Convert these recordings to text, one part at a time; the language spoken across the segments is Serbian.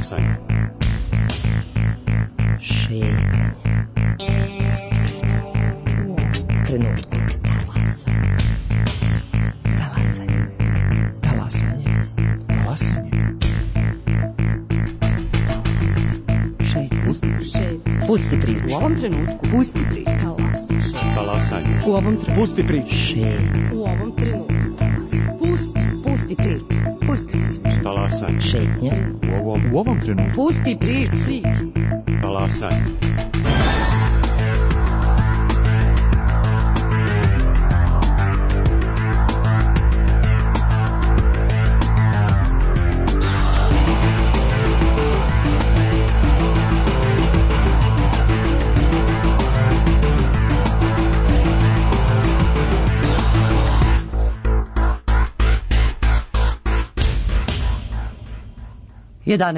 Talasanje. Šetnje. Trenutku. Talasanje. Talasanje. Talasanje. Šetnje. Pusti priču. U ovom trenutku. Pusti priču. Talasanje. U ovom trenutku. Pusti priču. Šetnje. U ovom trenutku. Pusti priču. Pusti priču. Talasanje. Šetnje. U ovom trenutku. Pusti priču. Talasanje.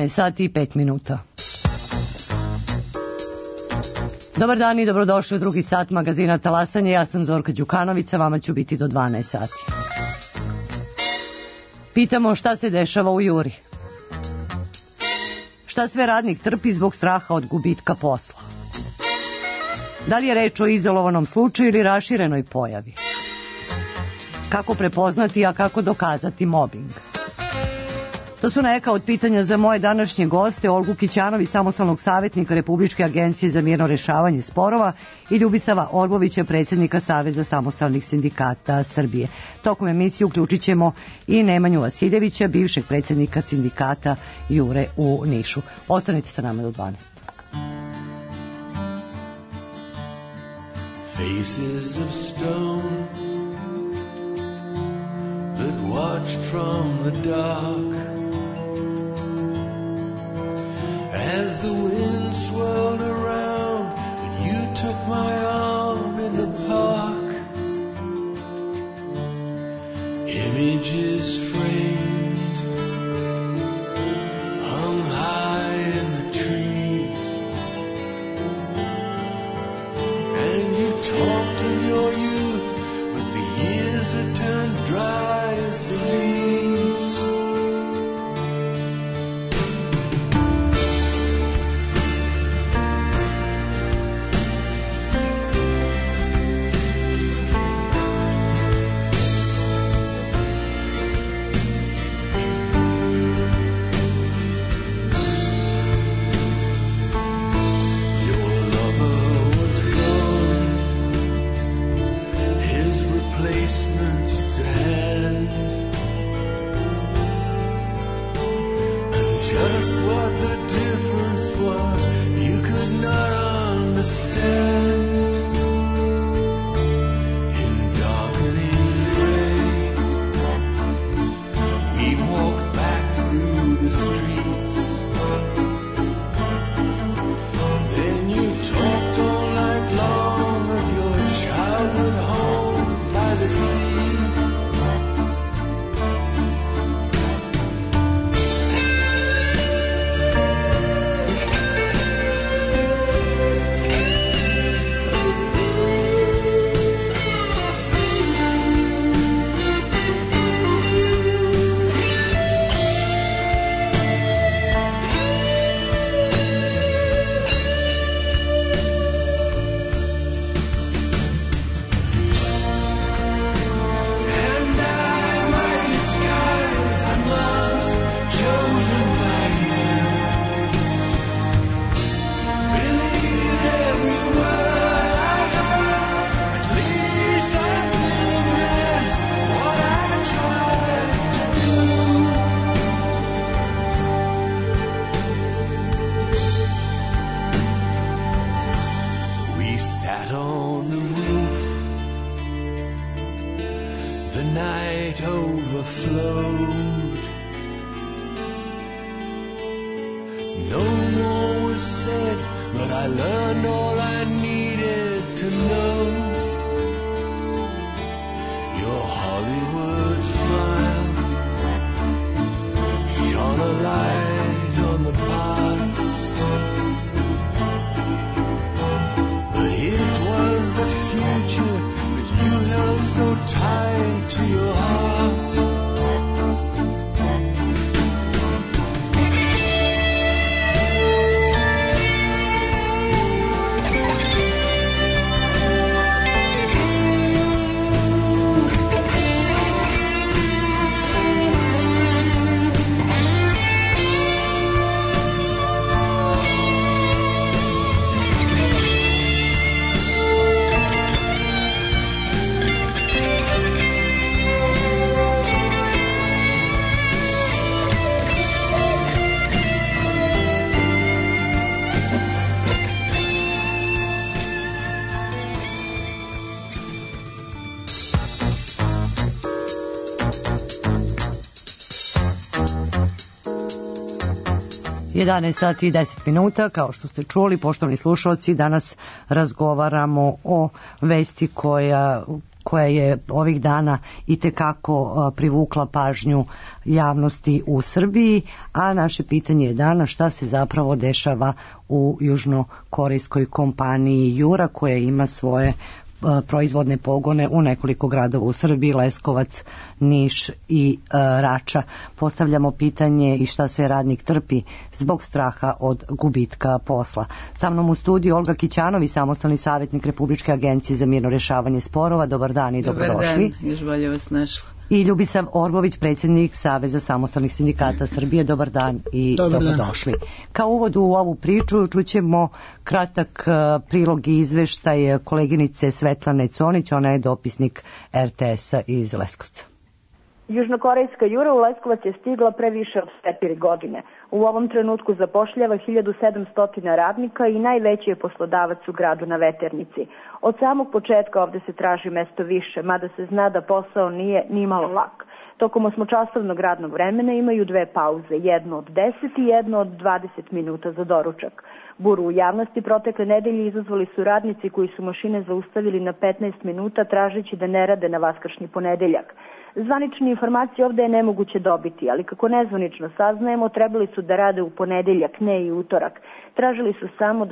sati i 5 minuta. Dobar dan i dobrodošli u drugi sat magazina Talasanje. Ja sam Zorka Đukanović, a vama ću biti do 12 sati. Pitamo šta se dešava u Juri. Šta sve radnik trpi zbog straha od gubitka posla? Da li je reč o izolovanom slučaju ili raširenoj pojavi? Kako prepoznati, a kako dokazati mobing? To su neka od pitanja za moje današnje goste, Olgu Kićanović, samostalnog savjetnika Republičke agencije za mirno rešavanje sporova, i Ljubisava Orbovića, predsjednika Saveza samostalnih sindikata Srbije. Tokom emisije uključit ćemo i Nemanju Vasiljevića, bivšeg predsjednika sindikata Jure u Nišu. Ostanite sa nama do 12. Faces of stone that watched from the dark as the wind swirled around and you took my arm in the park. Images framed hung high in the trees, and you talked of your youth, but the years had turned dry as the leaves. 11 sati i 10 minuta, kao što ste čuli, poštovani slušalci, danas razgovaramo o vesti koja je ovih dana itekako privukla pažnju javnosti u Srbiji, a naše pitanje je danas šta se zapravo dešava u južnokorejskoj kompaniji Jura, koja ima svoje proizvodne pogone u nekoliko gradova u Srbiji, Leskovac, Niš i Rača. Postavljamo pitanje i šta sve radnik trpi zbog straha od gubitka posla. Sa mnom u studiju Olga Kićanović, samostalni savjetnik Republičke agencije za mirno rešavanje sporova. Dobar dan i dobrodošli. Dobar dan, još bolje vas našla. I Ljubisav Orbović, predsjednik Saveza samostalnih sindikata Srbije. Dobar dan i dobrodošli. Kao uvod u ovu priču čućemo kratak prilog i izveštaj koleginice Svetlane Conić, ona je dopisnik RTS-a iz Leskovca. Južnokorejska Jura u Leskovac je stigla pre više od 4 godine. U ovom trenutku zapošljava 1700 radnika i najveći je poslodavac u gradu na Veternici. Od samog početka ovde se traži mesto više, mada se zna da posao nije ni malo lak. Tokom 8-časovnog radnog vremena imaju 2 pauze, jednu od 10 i jednu od 20 minuta za doručak. Buru u javnosti protekle nedelje izazvali su radnici koji su mašine zaustavili na 15 minuta tražeći da ne rade na vaskršnji ponedeljak. Zvanične informacije ovde je nemoguće dobiti, ali kako nezvanično saznajemo, trebali su da rade u ponedeljak, ne i utorak. Tražili su samo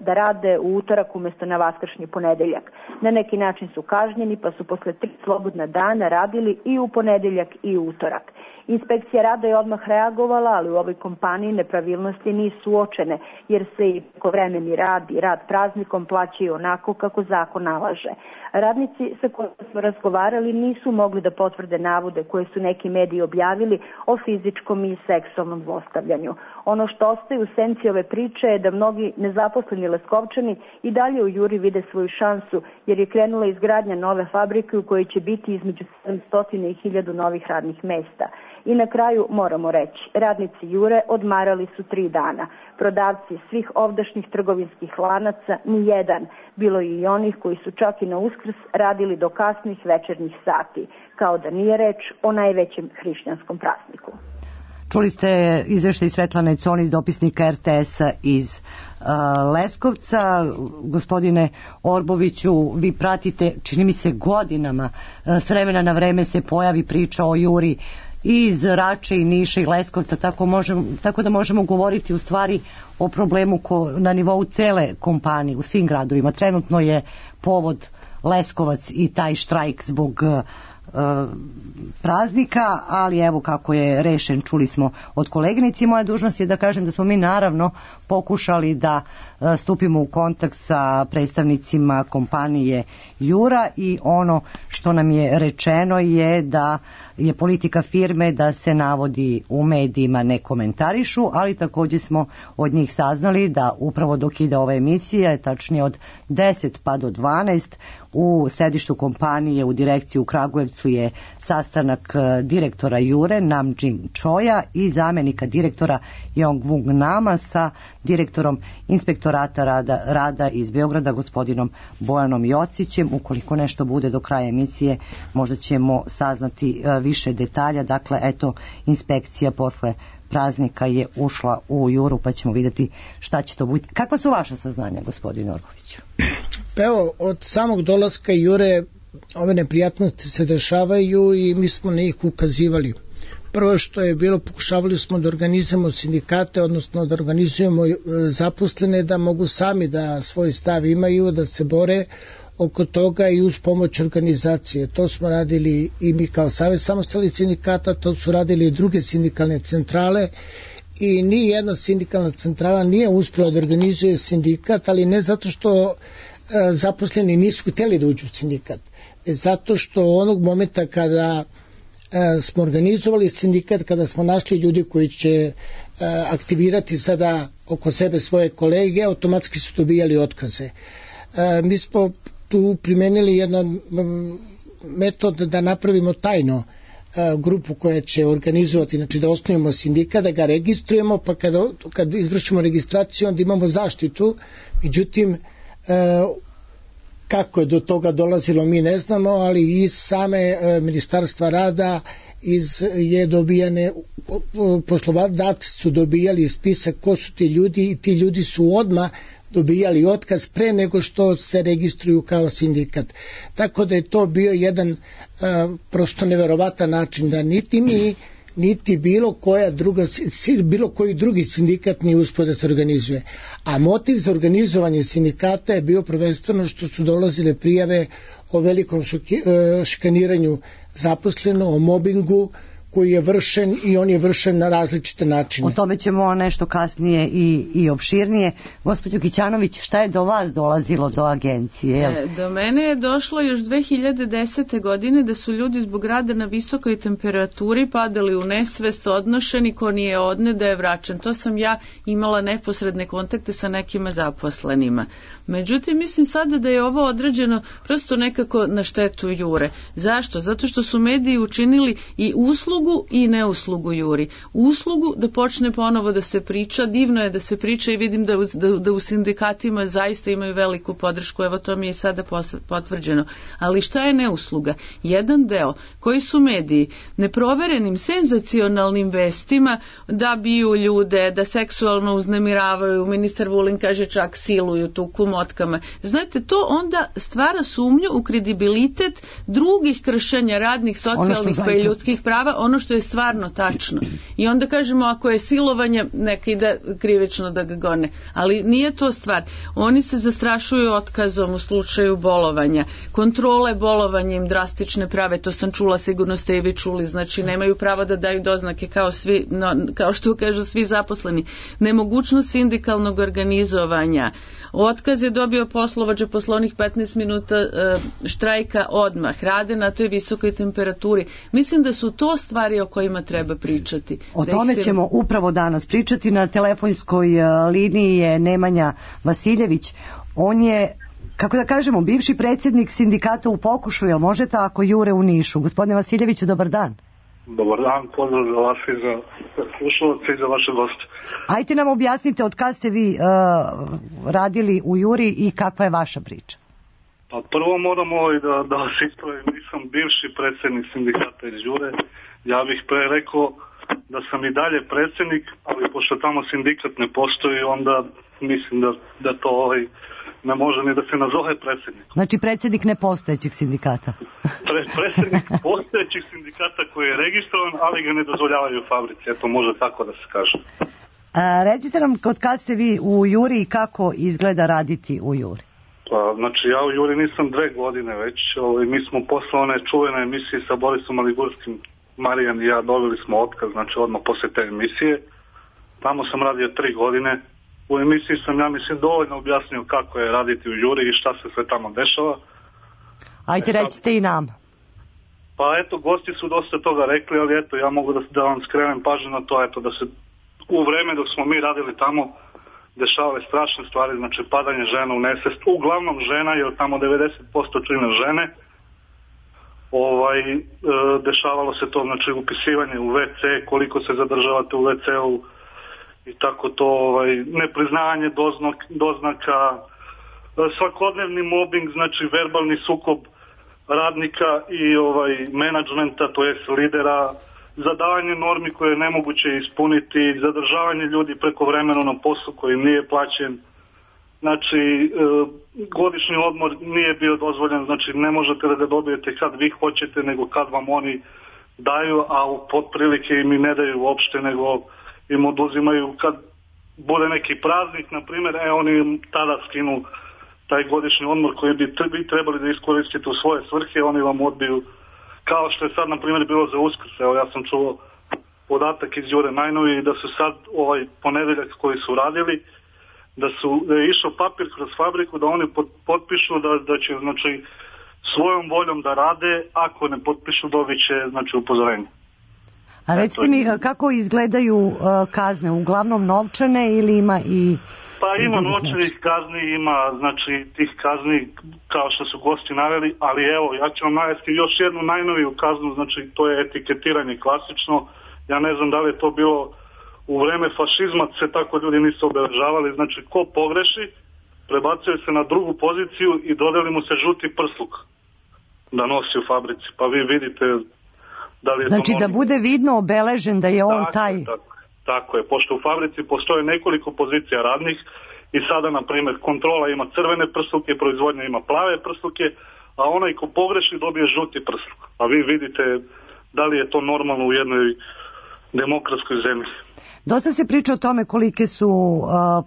da rade u utorak umjesto na vaskršnji ponedeljak. Na neki način su kažnjeni, pa su posle 3 slobodna dana radili i u ponedeljak i u utorak. Inspekcija rada je odmah reagovala, ali u ovoj kompaniji nepravilnosti nisu uočene, jer se i prekovremeni rad i rad praznikom plaćaju onako kako zakon nalaže. Radnici sa kojima smo razgovarali nisu mogli da potvrde navode koje su neki mediji objavili o fizičkom i seksualnom zlostavljanju. Ono što ostaje u senci ove priče je da mnogi nezaposleni Leskovčani i dalje u Juri vide svoju šansu, jer je krenula izgradnja nove fabrike u kojoj će biti između 700 i 1000 novih radnih mesta. I na kraju moramo reći, radnici Jure odmarali su 3 dana. Prodavci svih ovdašnjih trgovinskih lanaca, ni jedan. Bilo je i onih koji su čak i na Uskrs radili do kasnih večernjih sati, kao da nije reč o najvećem hrišćanskom prazniku. Čuli ste izveštaj Svetlane Conić, dopisnika RTS-a iz Leskovca. Gospodine Orboviću, vi pratite, čini mi se godinama, s vremena na vreme se pojavi priča o Juri i iz Rače i Niša i Leskovca, tako da možemo govoriti u stvari o problemu na nivou cele kompanije u svim gradovima. Trenutno je povod Leskovac i taj štrajk zbog praznika, ali evo kako je rešen, čuli smo od koleginici. Moja dužnost je da kažem da smo mi naravno pokušali da stupimo u kontakt sa predstavnicima kompanije Jura i ono što nam je rečeno je da je politika firme da se navodi u medijima ne komentarišu, ali također smo od njih saznali da upravo dok ide ova emisija, tačnije od 10 pa do 12, u sedištu kompanije u direkciji u Kragujevcu je sastanak direktora Jure Nam Jin Choja i zamjenika direktora Jong Wung Nama sa direktorom inspektorata rada iz Beograda gospodinom Bojanom Jocićem. Ukoliko nešto bude do kraja emisije, možda ćemo saznati više detalja. Dakle, eto, inspekcija posle praznika je ušla u Juru, pa ćemo vidjeti šta će to biti. Kakva su vaša saznanja, gospodine Orboviću? Pa evo, od samog dolaska Jure ove neprijatnosti se dešavaju i mi smo na njih ukazivali. Prvo što je bilo, pokušavali smo da organizujemo sindikate, odnosno da organizujemo zaposlene da mogu sami da svoj stav imaju, da se bore oko toga i uz pomoć organizacije. To smo radili i mi kao Savez samostalnih sindikata, to su radili i druge sindikalne centrale i ni jedna sindikalna centrala nije uspjela da organizuje sindikat, ali ne zato što zaposleni nisu htjeli da uđu u sindikat, zato što onog momenta kada smo organizovali sindikat, kada smo našli ljudi koji će aktivirati sada oko sebe svoje kolege, automatski su dobijali otkaze. Mi smo tu primenili jedan metod da napravimo tajno grupu koja će organizovati, znači da osnovimo sindikat, da ga registrujemo, pa kad izvršimo registraciju onda imamo zaštitu. Međutim, Kako je do toga dolazilo mi ne znamo, ali iz same Ministarstva rada je dobijane, poslodavci su dobijali spisak ko su ti ljudi i ti ljudi su odmah dobijali otkaz pre nego što se registruju kao sindikat. Tako da je to bio jedan prosto neverovatan način da niti mi niti bilo koji drugi sindikat nije uspio da se organizuje. A motiv za organizovanje sindikata je bio prvenstveno što su dolazile prijave o velikom šikaniranju zaposleno, o mobingu koji je vršen i on je vršen na različite načine. O tome ćemo nešto kasnije i opširnije. Gospođo Kićanović, šta je do vas dolazilo do agencije? Do mene je došlo još 2010. godine da su ljudi zbog rada na visokoj temperaturi padali u nesvest, odnošeni, ko nije odne da je vraćan. To sam ja imala neposredne kontakte sa nekima zaposlenima. Međutim, mislim sada da je ovo određeno prosto nekako na štetu Jure. Zašto? Zato što su mediji učinili i uslugu i neuslugu Juri. Uslugu da počne ponovo da se priča, divno je da se priča i vidim da u sindikatima zaista imaju veliku podršku, evo to mi je sada potvrđeno. Ali šta je neusluga? Jedan deo koji su mediji neproverenim, senzacionalnim vestima da biju ljude, da seksualno uznemiravaju, ministar Vulin kaže čak siluju, tuku motkama. Znate, to onda stvara sumnju u kredibilitet drugih kršenja radnih, socijalnih pa i ljudskih prava, ono što je stvarno tačno. I onda kažemo, ako je silovanje, neka ide krivično da ga gone. Ali nije to stvar. Oni se zastrašuju otkazom u slučaju bolovanja. Kontrole bolovanja im drastične prave, to sam čula, sigurno ste i vi čuli, znači nemaju pravo da daju doznake kao što kažu svi zaposleni. Nemogućnost sindikalnog organizovanja. Otkaz je dobio poslovođa posle onih 15 minuta štrajka odmah. Rade na toj visokoj temperaturi. Mislim da su to stvari o kojima treba pričati. O tome ćemo upravo danas pričati. Na telefonskoj liniji je Nemanja Vasiljević. On je, kako da kažemo, bivši predsjednik sindikata u Pokušu. Jel može tako, Jure u Nišu? Gospodine Vasiljeviću, dobar dan. Dobar dan, pozdrav za vas i za slušalce i za vaše goste. Ajte nam objasnite od kad ste vi radili u Juri i kakva je vaša priča? Pa prvo moram da vas ispravim, nisam bivši predsjednik sindikata iz Jure. Ja bih pre rekao da sam i dalje predsjednik, ali pošto tamo sindikat ne postoji, onda mislim da to ne može ni da se nazove predsjednik. Znači predsjednik nepostojećeg sindikata. Predsjednik postojećeg sindikata koji je registrovan, ali ga ne dozvoljavaju u fabrici. Eto, može tako da se kaže. Recite nam, od kad ste vi u Juri i kako izgleda raditi u Juri? Pa, znači, ja u Juri nisam 2 godine već. Mi smo posle one čuvene emisije sa Borisom Maligurskim, Marijan i ja dobili smo otkaz, znači odmah posle te emisije. Tamo sam radio 3 godine. U emisiji sam, ja mislim, dovoljno objasnio kako je raditi u Juri i šta se sve tamo dešava. Ajde, recite i nam. Pa eto, gosti su dosta toga rekli, ali eto, ja mogu da vam skrenem pažnju na to, eto, da se u vreme dok smo mi radili tamo dešavale strašne stvari, znači padanje žena u nesvest, uglavnom žena, jer tamo 90% čine žene. Dešavalo se to, znači upisivanje u WC, koliko se zadržavate u WC-u, i tako to, nepriznavanje doznaka, svakodnevni mobbing, znači verbalni sukob radnika i menadžmenta, to jest lidera, zadavanje normi koje je nemoguće ispuniti, zadržavanje ljudi prekovremeno na poslu koji nije plaćen. Znači, godišnji odmor nije bio dozvoljen, znači ne možete da ga dobijete kad vi hoćete, nego kad vam oni daju, a u potprilike im i ne daju uopšte, nego im oduzimaju kad bude neki praznik, na primjer, oni tada skinu taj godišnji odmor koji bi trebali da iskoristite u svoje svrhe, oni vam odbiju, kao što je sad, na primjer, bilo za Uskrs. Evo, ja sam čuo podatak iz Jure najnoviji da su sad ponedeljak koji su radili, da je išao papir kroz fabriku da oni potpišu da će, znači, svojom voljom da rade, ako ne potpišu dobit će, znači, upozorenje. A recite mi, kako izgledaju kazne? Uglavnom novčane ili ima i... Pa ima novčanih kazni, ima, znači, tih kazni kao što su gosti naveli, ali evo, ja ću vam navesti još jednu najnoviju kaznu, znači to je etiketiranje klasično. Ja ne znam da li je to bilo u vreme fašizma, se tako ljudi nisu obeležavali, znači ko pogreši, prebacuje se na drugu poziciju i dodeli mu se žuti prsluk da nosi u fabrici. Pa vi vidite da li je znači to da bude vidno obeležen da je on taj... Tako je, pošto u fabrici postoje nekoliko pozicija radnih i sada, na primjer, kontrola ima crvene prsluke, proizvodnja ima plave prsluke, a onaj ko pogreši dobije žuti prsluk. A vi vidite da li je to normalno u jednoj demokratskoj zemlji. Dosta se priča o tome kolike su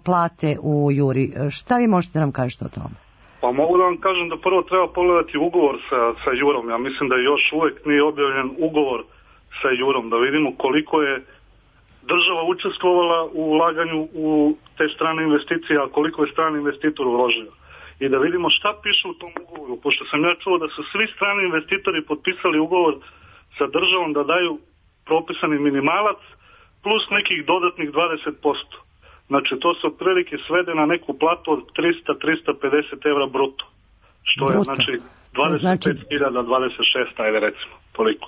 plate u Juri. Šta vi možete nam kažete o tome? Pa mogu da vam kažem da prvo treba pogledati ugovor sa Jurom. Ja mislim da još uvek nije objavljen ugovor sa Jurom, da vidimo koliko je država učestvovala u ulaganju u te strane investicije, a koliko je strani investitor uložio. I da vidimo šta piše u tom ugovoru, pošto sam ja čuo da su svi strani investitori potpisali ugovor sa državom da daju propisani minimalac plus nekih dodatnih 20%. Znači to se otprilike svede na neku platu od 300-350 evra bruto. Što je znači 25.000, 26, ajde recimo, toliko.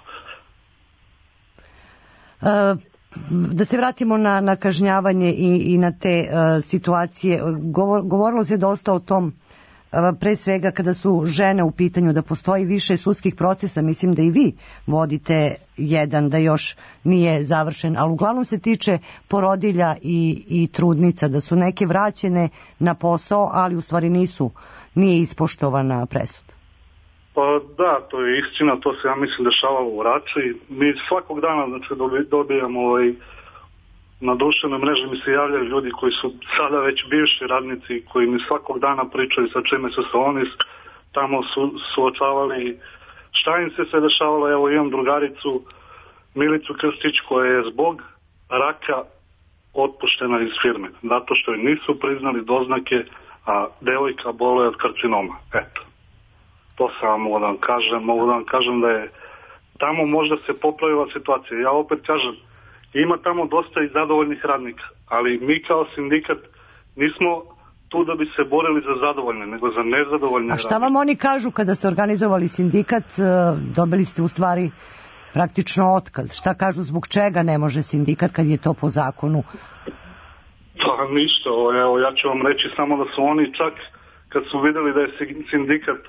Da se vratimo na kažnjavanje i na te situacije. Govorilo se dosta o tom, pre svega kada su žene u pitanju, da postoji više sudskih procesa. Mislim da i vi vodite jedan, da još nije završen, ali uglavnom se tiče porodilja i trudnica, da su neke vraćene na posao, ali u stvari nije ispoštovana presuda. Pa da, to je istina, to se ja mislim dešavalo u Rači. Mi svakog dana znači, dobijamo na društvenoj mreži mi se javljaju ljudi koji su sada već bivši radnici, koji mi svakog dana pričaju sa čime su se oni tamo suočavali, šta im se dešavalo. Evo imam drugaricu Milicu Krstić koja je zbog raka otpuštena iz firme, zato što joj nisu priznali doznake, a devojka boluje od karcinoma. Eto. To sam mogu da vam kažem da je tamo možda se popravila situacija. Ja opet kažem, ima tamo dosta i zadovoljnih radnika, ali mi kao sindikat nismo tu da bi se borili za zadovoljne, nego za nezadovoljne radnike. A šta vam oni kažu kada ste organizovali sindikat? Dobili ste u stvari praktično otkaz. Šta kažu, zbog čega ne može sindikat kad je to po zakonu? Pa ništa, evo ja ću vam reći samo da su oni čak kad su vidjeli da je sindikat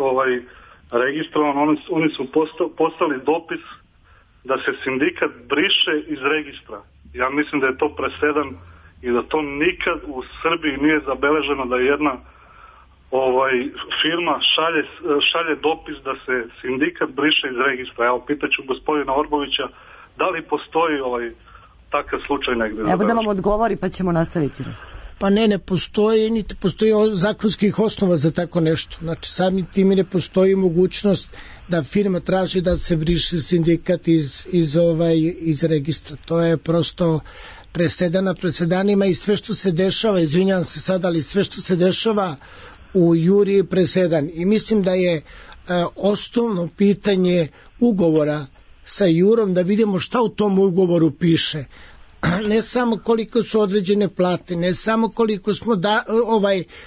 registrovan, oni su poslali dopis da se sindikat briše iz registra. Ja mislim da je to presedan i da to nikad u Srbiji nije zabeleženo da jedna firma šalje dopis da se sindikat briše iz registra. Evo, pitaću gospodina Orbovića da li postoji takav slučaj negdje. Evo da vam odgovori pa ćemo nastaviti. Pa ne postoji, niti postoji zakonskih osnova za tako nešto. Znači, samim tim ne postoji mogućnost da firma traži da se briše sindikat iz registra. To je prosto presedanima i sve što se dešava, izvinjavam se sad, ali sve što se dešava u Juri je presedan. I mislim da je osnovno pitanje ugovora sa Jurom da vidimo šta u tom ugovoru piše. Ne samo koliko su određene plate, ne samo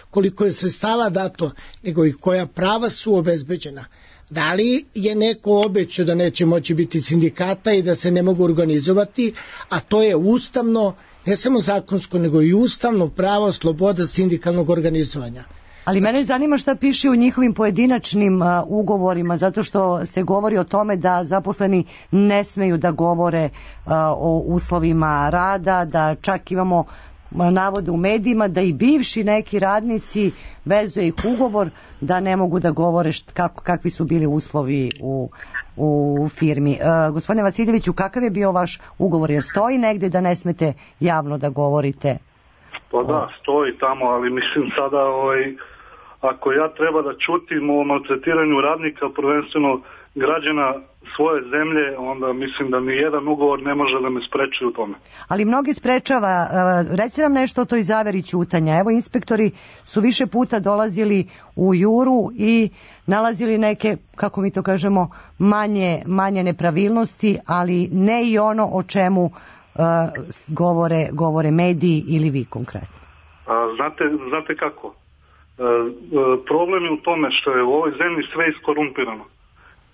koliko je sredstava dato, nego i koja prava su obezbeđena. Da li je neko obećao da neće moći biti sindikata i da se ne mogu organizovati, a to je ustavno, ne samo zakonsko, nego i ustavno pravo, sloboda sindikalnog organizovanja. Ali mene zanima šta piše u njihovim pojedinačnim ugovorima, zato što se govori o tome da zaposleni ne smeju da govore o uslovima rada, da čak imamo navode u medijima da i bivši neki radnici vezuje ih ugovor da ne mogu da govore kakvi su bili uslovi u firmi. Gospodine Vasiljeviću, kakav je bio vaš ugovor? Jer stoji negde da ne smete javno da govorite? Pa da, stoji tamo, ali mislim sada ako ja treba da čutim o maltretiranju radnika, prvenstveno građana svoje zemlje, onda mislim da ni jedan ugovor ne može da me spreči u tome. Ali mnogi sprečava. Reći nam nešto o toj zaveri ćutanja. Evo, inspektori su više puta dolazili u Juru i nalazili neke, kako mi to kažemo, manje nepravilnosti, ali ne i ono o čemu govore mediji ili vi konkretno. Znate kako? Problem je u tome što je u ovoj zemlji sve iskorumpirano.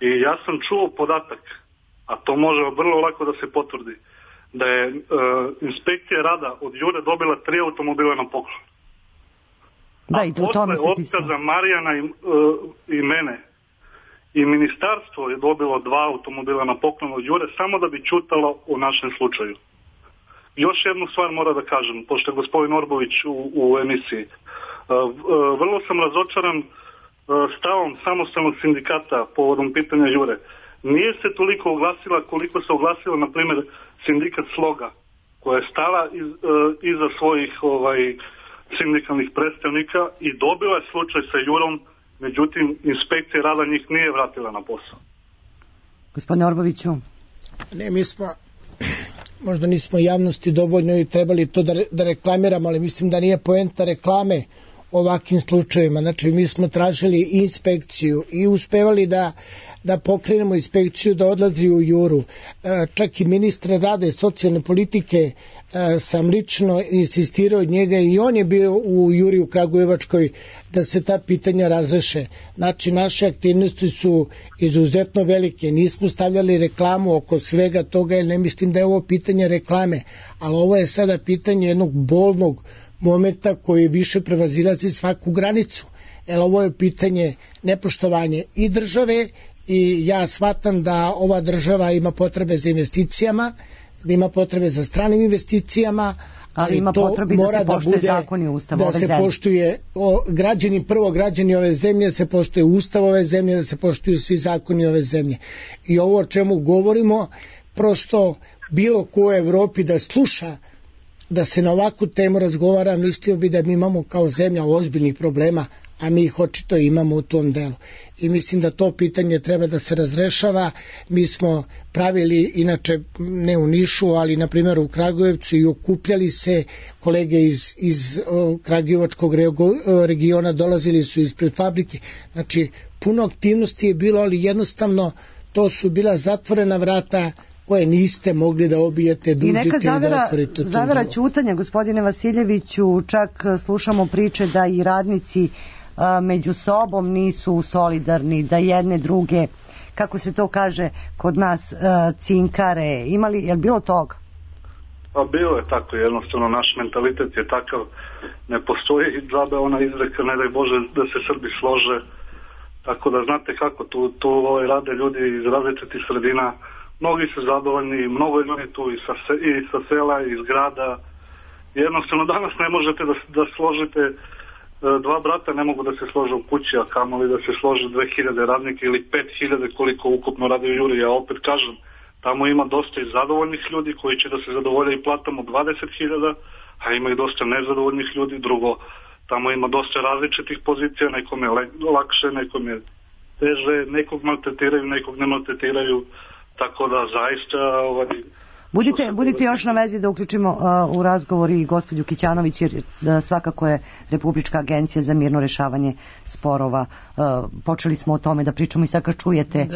I ja sam čuo podatak, a to može vrlo lako da se potvrdi, da je inspekcija rada od Jure dobila 3 automobila na poklon. Da, i u tome se posle pisalo. otkaza Marijana i mene i ministarstvo je dobilo 2 automobila na poklon od Jure samo da bi čutalo o našem slučaju. Još jednu stvar mora da kažem, pošto je gospodin Orbović u emisiji. Vrlo sam razočaran stavom samostalnog sindikata povodom pitanja Jure. Nije se toliko oglasila koliko se oglasila, na primjer, sindikat Sloga, koja je stala iza svojih sindikalnih predstavnika i dobila je slučaj sa Jurom, međutim, inspekcija rada njih nije vratila na posao. Gospodine Orboviću. Ne, mi smo, možda nismo javnosti dovoljno i trebali to da reklamiramo, ali mislim da nije poenta reklame ovakvim slučajevima. Znači, mi smo tražili inspekciju i uspevali da pokrenemo inspekciju da odlazi u Juru. Čak i ministra rada i socijalne politike sam lično insistirao od njega i on je bio u Juri u Kragujevačkoj da se ta pitanja razreše. Znači, naše aktivnosti su izuzetno velike. Nismo stavljali reklamu oko svega toga, jer ne mislim da je ovo pitanje reklame, ali ovo je sada pitanje jednog bolnog momenta koji više prevazilazi svaku granicu. Jer ovo je pitanje nepoštovanje i države i ja shvatam da ova država ima potrebe za investicijama, da ima potrebe za stranim investicijama, ali ima to potrebe mora da se poštuje zakon i ustav ove zemlje. Da se poštuje građani ove zemlje, da se poštuje ustav ove zemlje, da se poštuju svi zakoni ove zemlje. I ovo o čemu govorimo, prosto bilo ko u Evropi da sluša da se na ovakvu temu razgovara, mislio bi da mi imamo kao zemlja ozbiljnih problema, a mi ih očito imamo u tom delu. I mislim da to pitanje treba da se razrešava. Mi smo pravili, inače ne u Nišu, ali na primjer u Kragujevcu, i okupljali se kolege iz Kragujevačkog regiona, dolazili su ispred fabrike. Znači, puno aktivnosti je bilo, ali jednostavno to su bila zatvorena vrata koje niste mogli da obijete, da uđete i da otvorite. Zavera ćutanja, gospodine Vasiljeviću, čak slušamo priče da i radnici među sobom nisu solidarni, da jedne druge, kako se to kaže kod nas, cinkare. Je li bilo toga? Pa bilo je tako, jednostavno naš mentalitet je takav, ne postoji džabe ona izreka, ne daj Bože da se Srbi slože, tako da znate kako, tu rade ljudi iz različitih sredina, mnogi su zadovoljni, mnogo je ljudi tu i sa sela, iz grada. Jednostavno danas ne možete da složite, 2 brata ne mogu da se slože u kući, a kamoli da se slože 2000 radnika ili 5000 koliko ukupno radi u Juri. Ja opet kažem, tamo ima dosta i zadovoljnih ljudi koji će da se zadovolje i platamo 20.000, a ima i dosta nezadovoljnih ljudi. Drugo, tamo ima dosta različitih pozicija, nekom je lakše, nekom je teže, nekog maltretiraju, nekog ne maltretiraju. Tako da zaista... Budite još na vezi da uključimo u razgovor i gospođu Kićanović, jer svakako je Republička agencija za mirno rešavanje sporova. Počeli smo o tome da pričamo i sad kad čujete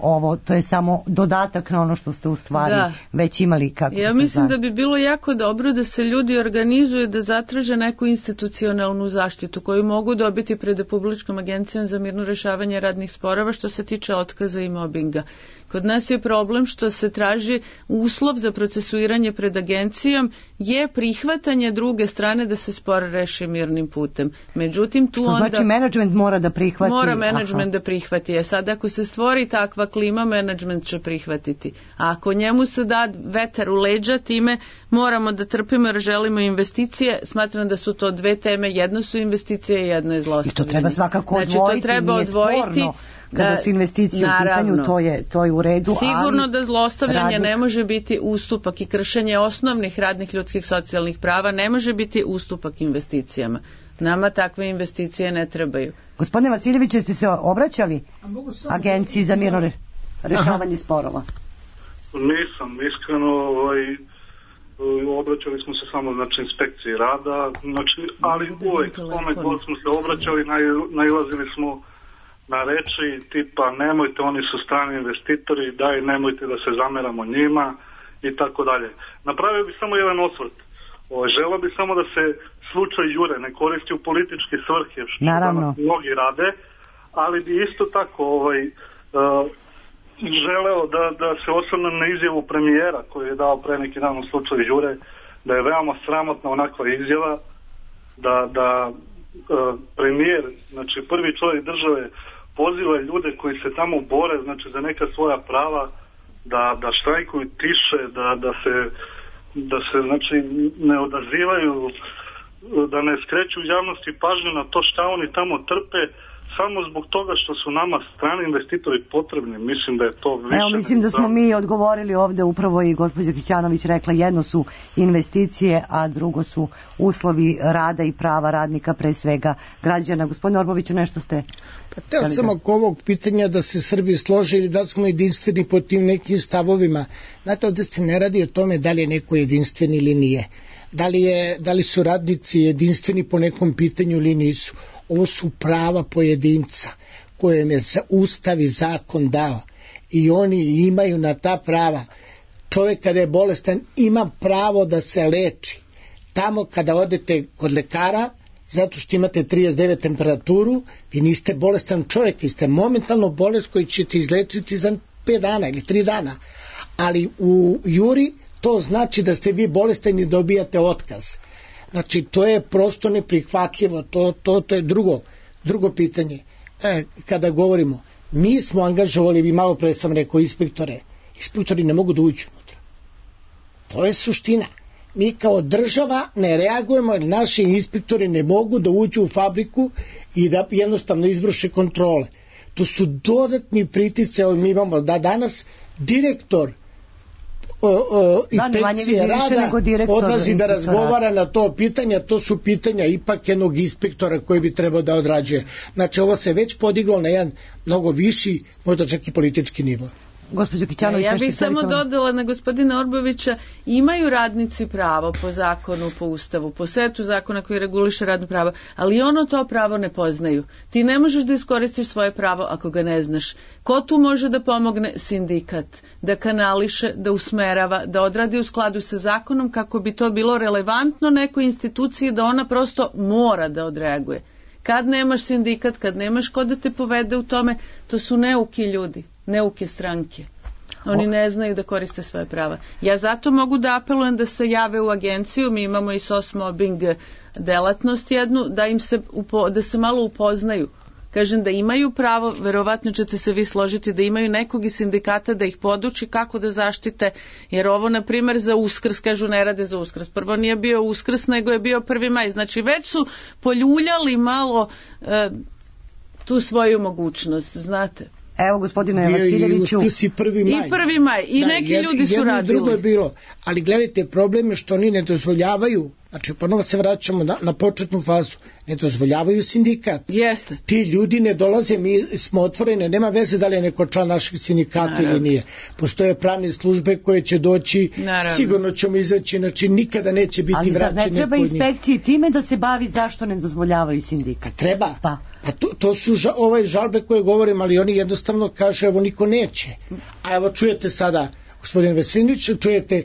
ovo, to je samo dodatak na ono što ste u stvari već imali. Ja mislim da bi bilo jako dobro da se ljudi organizuju da zatraže neku institucionalnu zaštitu koju mogu dobiti pred Republičkom agencijom za mirno rešavanje radnih sporova što se tiče otkaza i mobinga. Kod nas je problem što se traži uslov za procesuiranje pred agencijom je prihvatanje druge strane da se spor reši mirnim putem. Međutim, tu onda... Znači, menadžment mora da prihvati... Mora menadžment da prihvati. Sad, ako se stvori takva klima, menadžment će prihvatiti. A ako njemu se da vetar u leđa, time moramo da trpimo jer želimo investicije. Smatram da su to 2 teme. Jedno su investicije, jedno je zlostavljanje. I to treba svakako odvojiti, znači, to treba odvojiti. Kada su investicije u pitanju, to je u redu. Sigurno da zlostavljanje ne može biti ustupak i kršenje osnovnih radnih ljudskih socijalnih prava ne može biti ustupak investicijama. Nama takve investicije ne trebaju. Gospodine Vasiljeviću, jeste se obraćali Agenciji za mirno rešavanje sporova? Nisam, iskreno, obraćali smo se samo, znači, inspekciji rada, znači, ali uvek kome god smo se obraćali, nailazili smo na reči tipa nemojte, oni su strani investitori, daj nemojte da se zameramo njima i tako dalje. Napravio bi samo jedan osvrt. Želeo bi samo da se slučaj Jure ne koristi u političke svrhe, što danas mnogi rade, ali bi isto tako želeo da se osvrnem na izjavu premijera koju je dao pre neki dan u slučaju Jure, da je veoma sramotna onakva izjava, da premijer, znači prvi čovjek države, poziva ljude koji se tamo bore, znači za neka svoja prava, da štrajkuju tiše, da se znači ne odazivaju, da ne skreću javnosti pažnju na to šta oni tamo trpe, samo zbog toga što su nama strani investitori potrebni. Mislim da je to više... Evo, mislim da smo mi odgovorili ovde, upravo i gospođa Kićanović rekla, jedno su investicije, a drugo su uslovi rada i prava radnika, pre svega građana. Gospodine Orboviću, nešto ste... Pa teo sam oko ovog pitanja da se Srbi slože ili da smo jedinstveni po tim nekim stavovima. Znate, ovde se ne radi o tome da li je neko jedinstven ili nije. Da li su radnici jedinstveni po nekom pitanju ili nisu. Ovo su prava pojedinca koje je Ustav i zakon dao i oni imaju na ta prava. Čovjek kada je bolestan ima pravo da se leči. Tamo kada odete kod lekara, zato što imate 39 temperaturu, vi niste bolestan čovjek, vi ste momentalno bolest koji ćete izlečiti za 5 dana ili 3 dana. Ali u juri to znači da ste vi bolestan i dobijate otkaz. Znači, to je prosto neprihvatljivo, to je drugo pitanje. Kada govorimo, mi smo angažovali, vi malo pre sam rekao, inspektori ne mogu da uđu unutra. To je suština. Mi kao država ne reagujemo jer naši inspektori ne mogu da uđu u fabriku i da jednostavno izvrše kontrole. To su dodatni pritice, mi imamo da danas direktor inspekcije rada odlazi da razgovara na to pitanja, to su pitanja ipak jednog inspektora koji bi trebao da odrađuje. Znači, ovo se već podiglo na jedan mnogo viši, možda čak i politički nivo. Ja bih samo dodala na gospodina Orbovića, imaju radnici pravo po zakonu, po ustavu, po setu zakona koji reguliše radno pravo, ali ono to pravo ne poznaju. Ti ne možeš da iskoristiš svoje pravo ako ga ne znaš. Ko tu može da pomogne? Sindikat. Da kanališe, da usmerava, da odradi u skladu sa zakonom kako bi to bilo relevantno nekoj instituciji da ona prosto mora da odreaguje. Kad nemaš sindikat, kad nemaš ko da te povede u tome, to su neuki ljudi. Neuke stranke. Oni ne znaju da koriste svoje prava. Ja zato mogu da apelujem da se jave u agenciju, mi imamo i SOS mobbing delatnost jednu, da se malo upoznaju. Kažem da imaju pravo, verovatno ćete se vi složiti, da imaju nekog iz sindikata da ih poduči kako da zaštite, jer ovo, na primjer, za Uskrs, kažu ne rade za Uskrs. Prvo nije bio Uskrs, nego je bio 1. maj. Znači, već su poljuljali malo tu svoju mogućnost, znate. Evo, gospodine Vasiljeviću. I 1. maj. I neki ljudi su radili. Drugo je bilo. Ali gledajte, problem je što oni ne dozvoljavaju, znači ponovo se vraćamo na početnu fazu, ne dozvoljavaju sindikat. Jeste. Ti ljudi ne dolaze, mi smo otvoreni, nema veze da li je neko član naših sindikata ili nije. Postoje pravne službe koje će doći, sigurno ćemo izaći, znači nikada neće biti vraćeni. Ali ne treba inspekciji time da se bavi zašto ne dozvoljavaju sindikat? Treba. A to su žalbe koje govorim, ali oni jednostavno kažu, evo niko neće. A evo čujete sada, gospodin Veselinović, čujete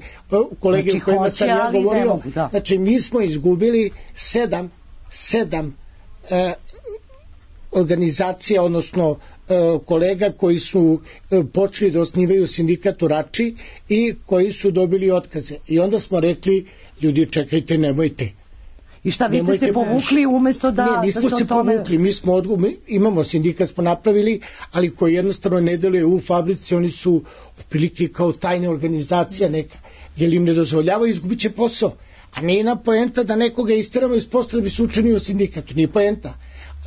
kolege u kojima sam ja govorio, znači mi smo izgubili 7 organizacija, odnosno kolega koji su počeli da osnivaju sindikat u Rači i koji su dobili otkaze. I onda smo rekli, ljudi čekajte, nemojte. I šta, vi ste se povukli umjesto da... Ne, nismo se povukli, mi imamo sindikat, smo napravili, ali koji jednostavno ne deluje u fabrici, oni su otprilike kao tajna organizacija neka, jer im ne dozvoljavaju, izgubit će posao. A nije nam poenta da nekoga isteramo iz posla da bi se učinio u sindikatu, nije poenta.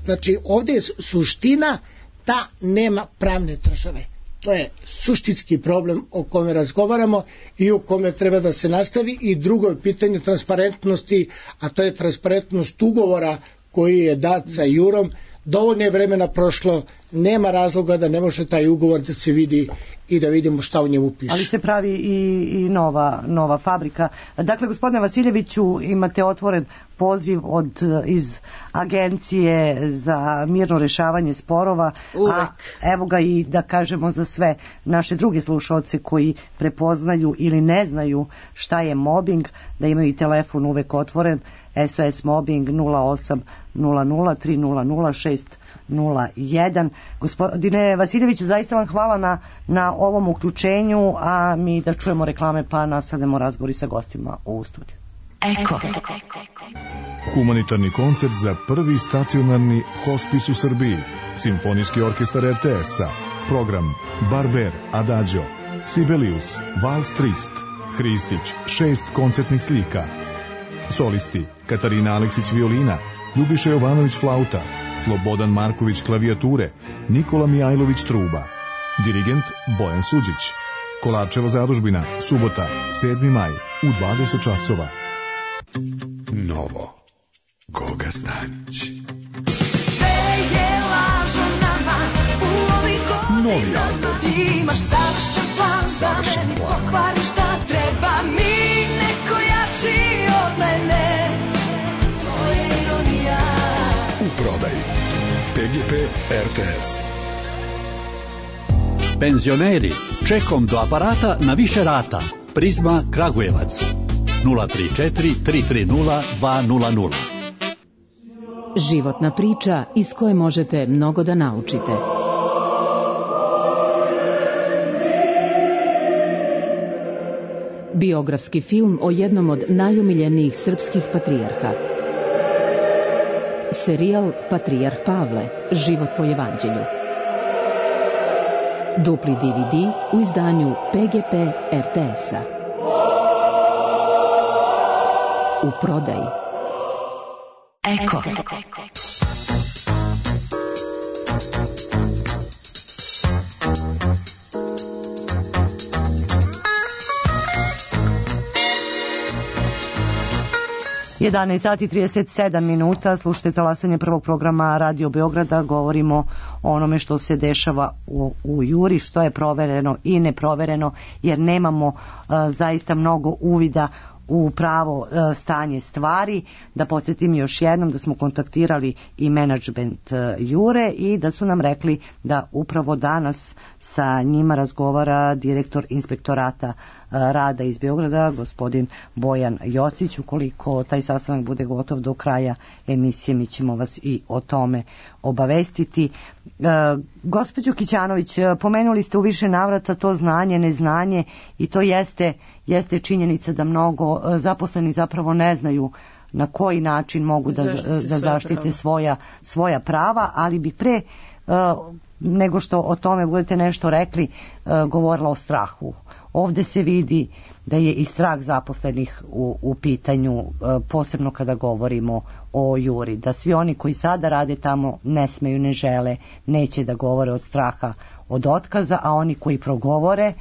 Znači, ovdje je suština da nema pravne države. To je suštinski problem o kome razgovaramo i o kome treba da se nastavi. I drugo je pitanje transparentnosti, a to je transparentnost ugovora koji je dat sa Jurom. Dovoljno je vremena prošlo, nema razloga da ne može taj ugovor da se vidi i da vidimo šta u njemu piše. Ali se pravi i nova fabrika. Dakle, gospodine Vasiljeviću, imate otvoren poziv iz Agencije za mirno rešavanje sporova. Uvek. A evo ga i da kažemo za sve naše druge slušaoce koji prepoznaju ili ne znaju šta je mobbing, da imaju i telefon uvek otvoren, SOS mobbing 0800 300 601. Gospodine Vasiljeviću, zaista vam hvala na ovom uključenju, a mi da čujemo reklame pa nastavljamo razgovori sa gostima u studiju. Eko. Humanitarni koncert za prvi stacionarni hospis u Srbiji. Simfonijski orkestar RTS-a. Program Barber, Adagio, Sibelius, Vals Trist, Hristić, 6 koncertnih slika. Solisti Katarina Aleksić violina, Ljubiša Jovanović flauta, Slobodan Marković klavijature, Nikola Mijajlović truba. Dirigent Bojan Suđić. Kolarčeva zadužbina, subota, 7. maj, u 20 časova. Novo. Goga Stanić. Novi album. Imaš savršen plan, savršen plan. Pokvari šta treba mi, neko jači od mene. To je ironija. U prodaji PGP RTS. Penzioneri, čekom do aparata na više rata. Prizma Kragujevac 034 330 200. Životna priča iz koje možete mnogo da naučite. Biografski film o jednom od najomiljenijih srpskih patrijarha. Serijal Patrijarh Pavle, život po evanđelju. Dupli DVD u izdanju PGP RTS-a. U prodaji. Eko. Sat i 37 minuta, slušajte talasanje prvog programa Radio Beograda, govorimo o onome što se dešava u Juri, što je provereno i neprovereno, jer nemamo zaista mnogo uvida u pravo stanje stvari. Da podsjetim još jednom da smo kontaktirali i menadžment Jure i da su nam rekli da upravo danas sa njima razgovara direktor inspektorata rada iz Beograda, gospodin Bojan Jocić. Ukoliko taj sastanak bude gotov do kraja emisije, mi ćemo vas i o tome obavestiti. Gospođo Kićanović, pomenuli ste u više navrata to znanje, neznanje, i to jeste činjenica da mnogo zaposleni zapravo ne znaju na koji način mogu da zaštite svoja prava, ali bi pre nego što o tome budete nešto rekli, govorila o strahu. Ovde se vidi da je i strah zaposlenih u pitanju, posebno kada govorimo o Juri, da svi oni koji sada rade tamo ne smeju, ne žele, neće da govore od straha od otkaza, a oni koji progovore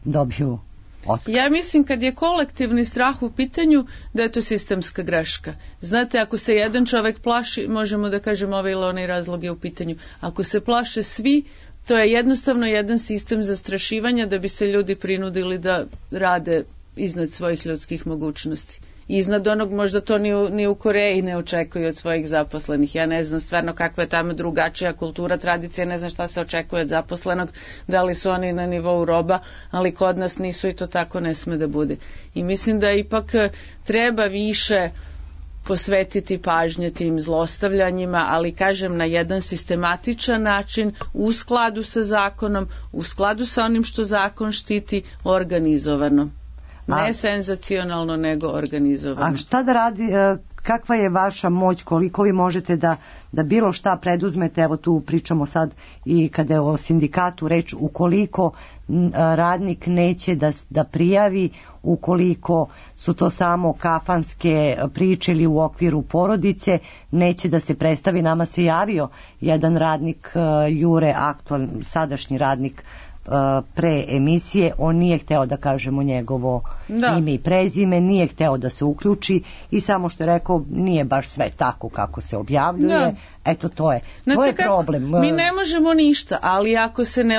dobiju otkaz. Ja mislim kad je kolektivni strah u pitanju da je to sistemska greška. Znate, ako se jedan čovek plaši, možemo da kažemo ovaj ili onaj razlog je u pitanju. Ako se plaše svi, to je jednostavno jedan sistem zastrašivanja da bi se ljudi prinudili da rade iznad svojih ljudskih mogućnosti. Iznad onog, možda to ni u Koreji ne očekuju od svojih zaposlenih. Ja ne znam stvarno kakva je tamo drugačija kultura, tradicija, ne znam šta se očekuje od zaposlenog, da li su oni na nivou roba, ali kod nas nisu i to tako ne sme da bude. I mislim da ipak treba više posvetiti pažnje tim zlostavljanjima, ali kažem na jedan sistematičan način, u skladu sa zakonom, u skladu sa onim što zakon štiti, organizovano. Ne senzacionalno, nego organizovano. A šta da radi, kakva je vaša moć, koliko vi možete da bilo šta preduzmete, evo tu pričamo sad i kada je o sindikatu reč, ukoliko radnik neće da prijavi, ukoliko su to samo kafanske priče ili u okviru porodice, neće da se predstavi. Nama se javio jedan radnik Jure, aktualni, sadašnji radnik pre emisije, on nije hteo da kažemo njegovo ime i prezime, nije hteo da se uključi i samo što je rekao nije baš sve tako kako se objavljuje. Eto, to je problem. Mi ne možemo ništa, ali ako se ne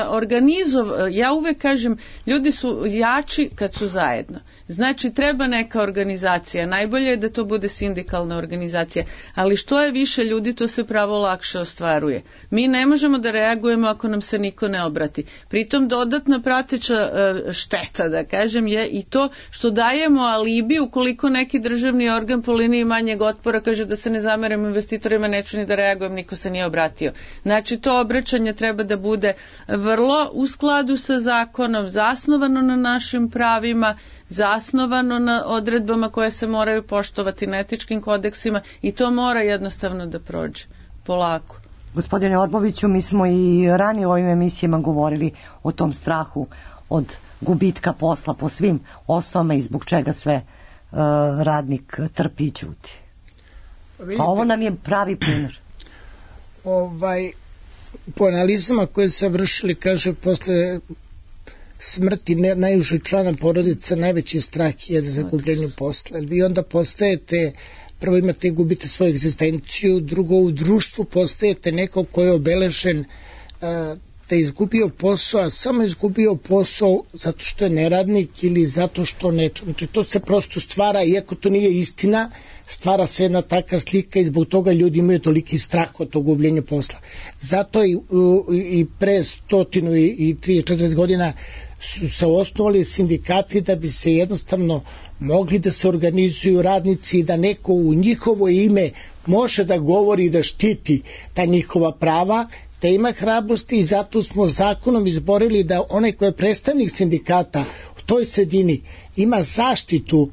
ja uvek kažem, ljudi su jači kad su zajedno. Znači, treba neka organizacija. Najbolje je da to bude sindikalna organizacija, ali što je više ljudi, to se pravo lakše ostvaruje. Mi ne možemo da reagujemo ako nam se niko ne obrati. Pritom dodatna prateća šteta, da kažem, je i to što dajemo alibi ukoliko neki državni organ po liniji manjeg otpora kaže da se ne zameramo investitorima, neću ni da reagujem reagujem, niko se nije obratio. Znači to obraćanje treba da bude vrlo u skladu sa zakonom, zasnovano na našim pravima, zasnovano na odredbama koje se moraju poštovati, na etičkim kodeksima, i to mora jednostavno da prođe polako. Gospodine Orboviću, mi smo i ranije u ovim emisijama govorili o tom strahu od gubitka posla po svim osnovama i zbog čega sve radnik trpi i ćuti. A ovo nam je pravi primjer. Po analizama koje se vršili, kaže, posle smrti najužeg člana porodice najveći strah je za gubljenje posla. Vi onda postajete, prvo gubite svoju egzistenciju, drugo u društvu postajete neko ko je obeležen da je izgubio posao, a samo izgubio posao zato što je neradnik ili zato što neče. Znači to se prosto stvara, iako to nije istina, stvara se jedna takva slika i zbog toga ljudi imaju toliki strah od tog gubljenja posla. Zato i pre 130-40 godina su se osnovali sindikati da bi se jednostavno mogli da se organizuju radnici i da neko u njihovo ime može da govori i da štiti ta njihova prava, da ima hrabrosti, i zato smo zakonom izborili da onaj ko je predstavnik sindikata u toj sredini ima zaštitu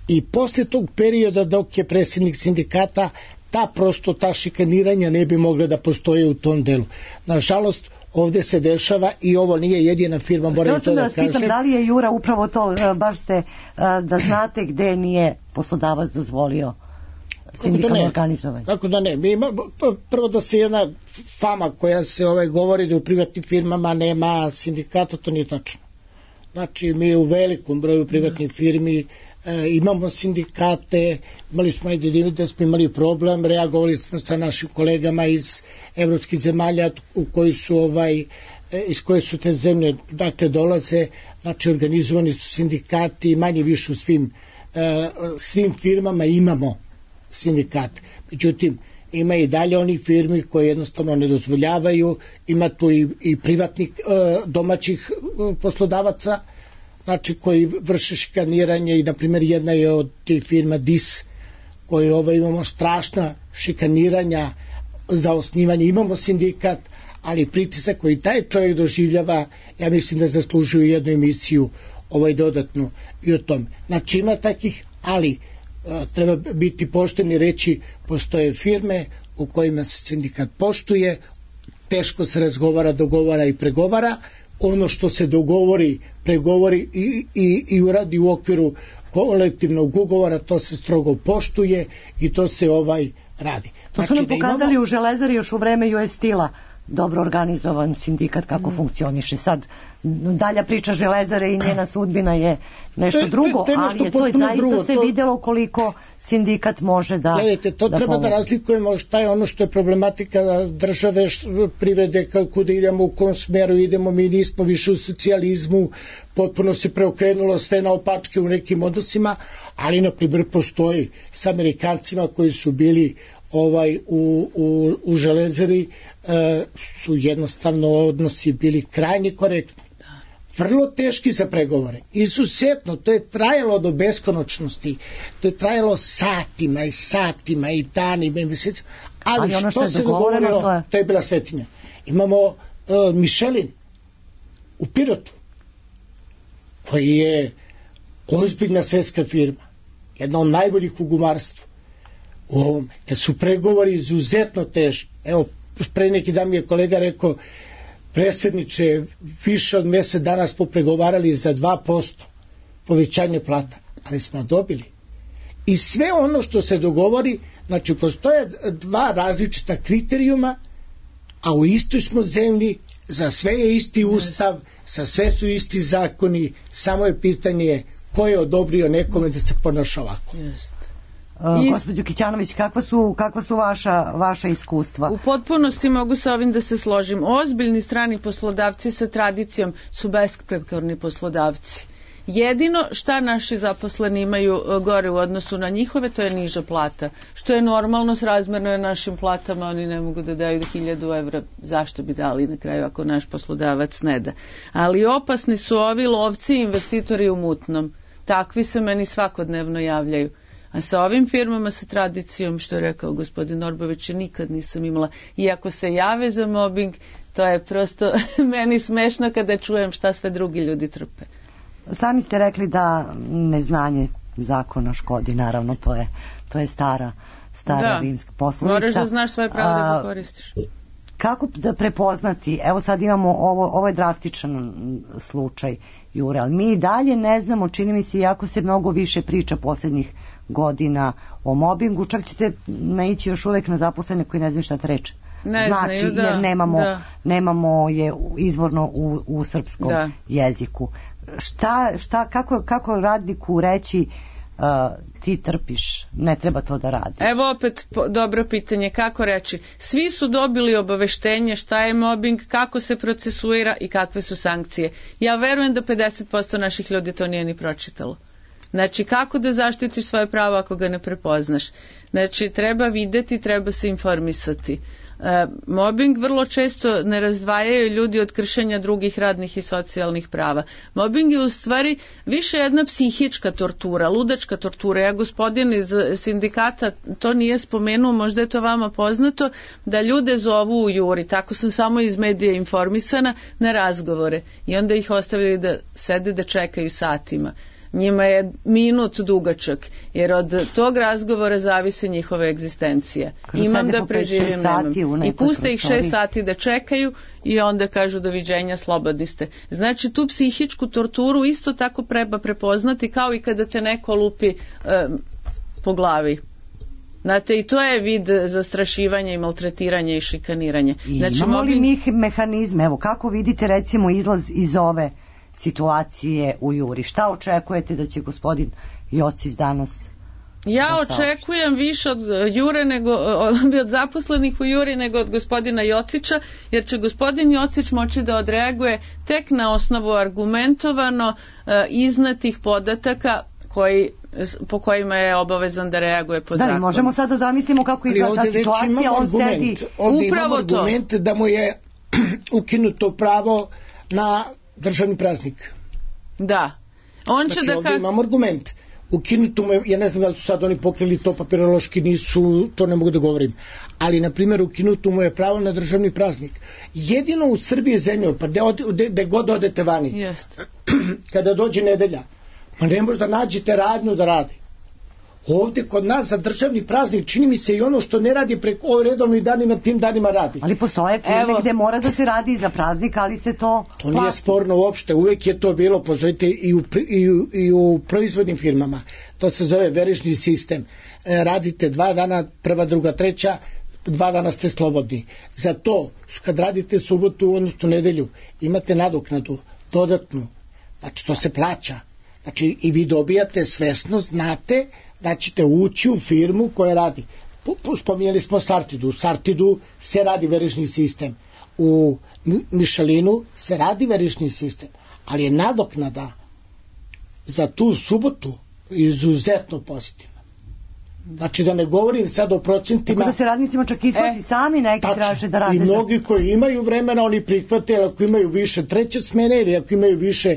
i posle tog perioda dok je predsjednik sindikata ta šikaniranja ne bi mogla da postoje u tom delu. Nažalost, ovde se dešava i ovo nije jedina firma, moram to da kažem. Pitam, da li je Jura upravo to, baš ste da znate gde nije poslodavac dozvolio sindikalno organizovanje? Kako da ne? Prvo da se jedna fama koja se govori da u privatnim firmama nema sindikata, to nije tačno. Znači, mi u velikom broju privatnih firmi imamo sindikate, imali smo da smo imali problem, reagovali smo sa našim kolegama iz evropskih zemalja iz koje su te zemlje dolaze, znači organizovani su sindikati, manje više u svim firmama imamo sindikat. Međutim, ima i dalje onih firmi koje jednostavno ne dozvoljavaju, ima tu i privatnih domaćih poslodavaca, znači koji vrše šikaniranje, i na primjer jedna je od tih firma DIS, koji imamo strašna šikaniranja za osnivanje, imamo sindikat, ali pritisak koji taj čovjek doživljava, ja mislim da zaslužuju jednu emisiju dodatnu i o tome. Znači ima takih, ali treba biti pošteni, reći, postoje firme u kojima se sindikat poštuje, teško se razgovara, dogovara i pregovara, ono što se dogovori, pregovori i uradi u okviru kolektivnog ugovora, to se strogo poštuje i to se radi. To su nam pokazali u Železari još u vreme US Steel-a, dobro organizovan sindikat kako funkcioniše. Sad, dalja priča Železare i njena sudbina je nešto drugo, ali je to zaista se videlo koliko sindikat može da pomoći. Gledajte, to treba da razlikujemo šta je ono što je problematika države, privrede, kako da idemo, u kom smeru idemo, mi nismo više u socijalizmu, potpuno se preokrenulo sve na opačke u nekim odnosima, ali na primjer postoji s Amerikancima koji su bili u Železari, su jednostavno odnosi bili krajnje korektni, vrlo teški za pregovore, izuzetno, to je trajalo do beskonačnosti, to je trajalo satima i satima i danima i mesecima, ali što se dogovorilo, to je bila svetinja. Imamo Michelin u Pirotu, koji je ozbiljna svetska firma, jedna od najboljih u gumarstvu. Kad su pregovori izuzetno teški, evo, pre neki dan mi je kolega rekao, predsjedniče, više od mjesec dana smo pregovarali za 2% povećanje plata, ali smo dobili. I sve ono što se dogovori, znači postoje dva različita kriterijuma, a u istoj smo zemlji, za sve je isti ustav, za sve su isti zakoni, samo je pitanje ko je odobrio nekome da se ponaša ovako. Gospođo Kićanović, kakva su vaša iskustva? U potpunosti mogu sa ovim da se složim. Ozbiljni strani poslodavci sa tradicijom su besprekorni poslodavci. Jedino šta naši zaposleni imaju gore u odnosu na njihove, to je niža plata. Što je normalno, srazmjerno je našim platama, oni ne mogu da daju 1000 evra, zašto bi dali na kraju ako naš poslodavac ne da. Ali opasni su ovi lovci i investitori u mutnom. Takvi se meni svakodnevno javljaju. A sa ovim firmama sa tradicijom, što je rekao gospodin Orbović, nikad nisam imala. I ako se jave za mobbing, to je prosto meni smešno kada čujem šta sve drugi ljudi trpe. Sami ste rekli da neznanje zakona škodi, naravno, to je stara rimska poslovica. Moraš da znaš svoje pravo da ga koristiš. Kako da prepoznati, evo sad imamo ovo je drastičan slučaj Jure, ali mi i dalje ne znamo, čini mi se, iako se mnogo više priča posljednjih godina o mobingu, čak ćete naići još uvek na zaposlene koji ne znaju šta reče. Znači, jer nemamo je izvorno u srpskom jeziku. Kako radniku reći ti trpiš, ne treba to da radiš? Evo opet dobro pitanje, kako reći? Svi su dobili obaveštenje šta je mobbing, kako se procesuira i kakve su sankcije. Ja verujem da 50% naših ljudi to nije ni pročitalo. Znači, kako da zaštitiš svoje pravo ako ga ne prepoznaš? Znači, treba videti, treba se informisati. Mobbing vrlo često ne razdvajaju ljudi od kršenja drugih radnih i socijalnih prava. Mobbing je u stvari više jedna psihička tortura, ludačka tortura. Ja, gospodin iz sindikata, to nije spomenuo, možda je to vama poznato, da ljude zovu u juri, tako sam samo iz medija informisana, na razgovore. I onda ih ostavljaju da sede, da čekaju satima. Njima je minut dugačak, jer od tog razgovora zavise njihova egzistencija. Imam da preživim, nemam. I puste ih 6 sati da čekaju i onda kažu doviđenja, slobodni ste. Znači, tu psihičku torturu isto tako treba prepoznati, kao i kada te neko lupi po glavi. Znate, i to je vid zastrašivanja i maltretiranja i šikaniranja. Znači, imamo li mi mehanizme? Evo, kako vidite recimo izlaz iz ove situacije u juri? Šta očekujete da će gospodin Jocić danas? Ja očekujem više od Jure nego od zaposlenih u juri nego od gospodina Jocića, jer će gospodin Jocić moći da odreaguje tek na osnovu argumentovano iznetih podataka po kojima je obavezan da reaguje po zakonu. Da, možemo sad da zamislimo kako izgleda ta situacija, on sedi. Ovdje imamo argument da mu je ukinuto pravo na državni praznik. Da. On će znači, ovdje imamo argument. Ukinuto mu je, ja ne znam da li su sad oni pokrili to, papirološki nisu, to ne mogu da govorim. Ali, na primjer, ukinuto mu je pravo na državni praznik. Jedino u Srbiji je zemlja, pa gde god odete vani, kada dođe nedelja, ma ne možda nađete radnju da radi. Ovdje kod nas za državni praznik čini mi se i ono što ne radi preko redovnih danima, tim danima radi. Ali postoje firme gde mora da se radi za praznik, ali se to nije sporno uopšte, uvijek je to bilo, pozovite, i u proizvodnim firmama. To se zove verižni sistem. Radite 2 dana, 1., 2., 3., 2 dana ste slobodni. Za to, kad radite subotu, odnosno nedelju, imate nadoknadu dodatnu. Znači, to se plaća. Znači, i vi dobijate svesno, znate da ćete ući u firmu koja radi. Spominjali smo Sartidu. U Sartidu se radi verižni sistem. U Michelinu se radi verižni sistem. Ali je nadoknada za tu subotu izuzetno pozitivna. Znači, da ne govorim sad o procentima. Tako da se radnicima čak isplati sami neki traže da rade. I mnogi koji imaju vremena, oni prihvate, ali ako imaju više 3. smene ili ako imaju više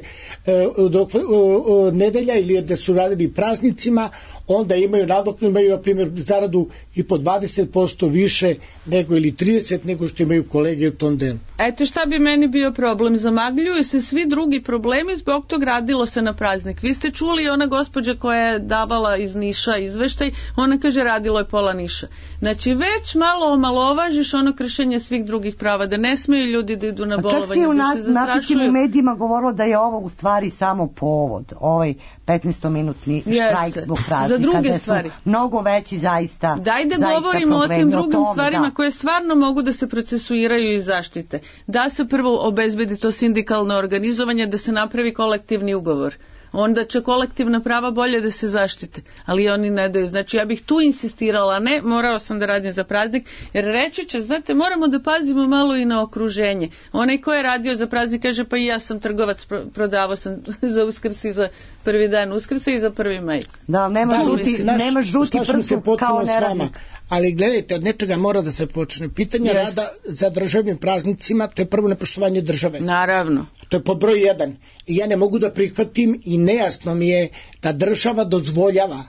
nedelja ili da su radili praznicima, onda imaju nadoknadu, imaju na primjer zaradu i po 20% više nego ili 30% nego što imaju kolege u tom delu. Eto šta bi meni bio problem, zamagljuju se svi drugi problemi, zbog tog radilo se na praznik. Vi ste čuli ona gospođa koja je davala iz Niša izveštaj, ona kaže radilo je pola Niša. Znači već malo omalovažiš ono kršenje svih drugih prava, da ne smeju ljudi da idu na bolovanje, da se zastrašuju. Čak se u napisima u medijima govorilo da je ovo u stvari samo povod, ovaj 15-minutni štrajk zbog praznika. Za druge stvari. Mnogo veći zaista. Daj da govorimo o tim drugim stvarima koje stvarno mogu da se procesuiraju i zaštite. Da se prvo obezbedi to sindikalno organizovanje, da se napravi kolektivni ugovor. Onda će kolektivna prava bolje da se zaštite, ali oni ne daju. Znači ja bih tu insistirala, ne, morao sam da radim za praznik, jer reći će, znate, moramo da pazimo malo i na okruženje. Onaj ko je radio za praznik kaže, pa i ja sam trgovac, prodavao sam za Uskrs i za prvi dan Uskrsa i za 1. maj. Da, nema žuti prstu kao neradnik. Ali gledajte, od nečega mora da se počne. Pitanje rada za državnim praznicima, to je prvo nepoštovanje države. Naravno. To je pod broj 1. I ja ne mogu da prihvatim i nejasno mi je da država dozvoljava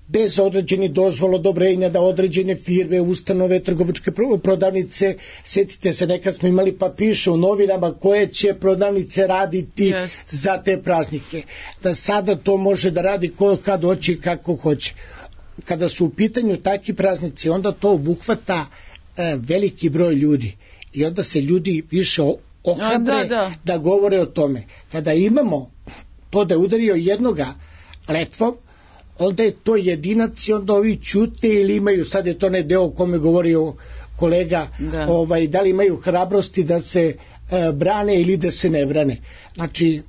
bez određenih dozvola, odobrenja, da određene firme, ustanove, trgovačke prodavnice, sjetite se, nekad smo imali pa piše u novinama koje će prodavnice raditi za te praznike. Da sada to može da radi ko kad hoće i kako hoće. Kada su u pitanju takvi praznici, onda to obuhvata veliki broj ljudi i onda se ljudi više ohrabre da govore o tome. Kada imamo to da je udario jednoga letvom, onda je to jedinac i onda ovi ćute ili imaju, sad je to ne deo o kome govorio kolega, da li imaju hrabrosti da se brane ili da se ne brane. Znači,